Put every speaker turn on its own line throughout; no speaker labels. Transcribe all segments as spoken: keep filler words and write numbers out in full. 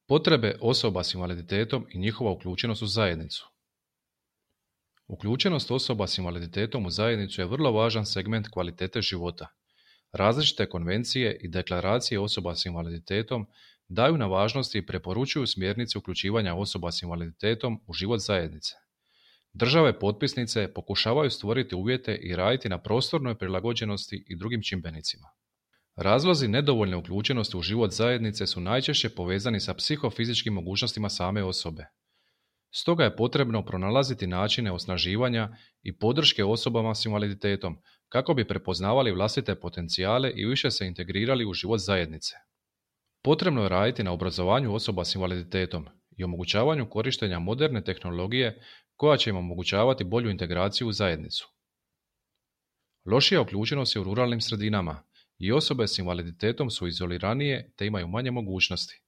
Potrebe osoba s invaliditetom i njihova uključenost u zajednicu. Uključenost osoba s invaliditetom u zajednicu je vrlo važan segment kvalitete života. Različite konvencije i deklaracije osoba s invaliditetom daju na važnosti i preporučuju smjernice uključivanja osoba s invaliditetom u život zajednice. Države potpisnice pokušavaju stvoriti uvjete i raditi na prostornoj prilagođenosti i drugim čimbenicima. Razlozi nedovoljne uključenosti u život zajednice su najčešće povezani sa psihofizičkim mogućnostima same osobe. Stoga je potrebno pronalaziti načine osnaživanja i podrške osobama s invaliditetom kako bi prepoznavali vlastite potencijale i više se integrirali u život zajednice. Potrebno je raditi na obrazovanju osoba s invaliditetom i omogućavanju korištenja moderne tehnologije koja će im omogućavati bolju integraciju u zajednicu. Lošija uključenost je u ruralnim sredinama i osobe s invaliditetom su izoliranije te imaju manje mogućnosti.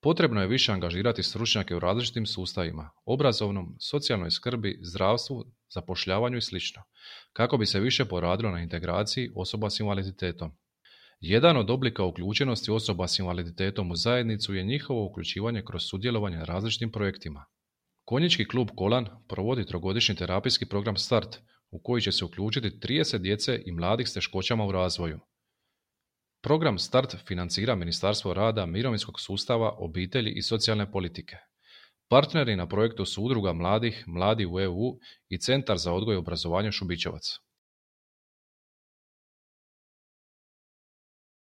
Potrebno je više angažirati stručnjake u različitim sustavima, obrazovnom, socijalnoj skrbi, zdravstvu, zapošljavanju i sl. Kako bi se više poradilo na integraciji osoba s invaliditetom. Jedan od oblika uključenosti osoba s invaliditetom u zajednicu je njihovo uključivanje kroz sudjelovanje na različitim projektima. Konjički klub Kolan provodi trogodišnji terapijski program Start u koji će se uključiti trideset djece i mladih s teškoćama u razvoju. Program Start financira Ministarstvo rada, mirovinskog sustava, obitelji i socijalne politike. Partneri na projektu su Udruga mladih, Mladi u E U i Centar za odgoj i obrazovanje Šubićevac.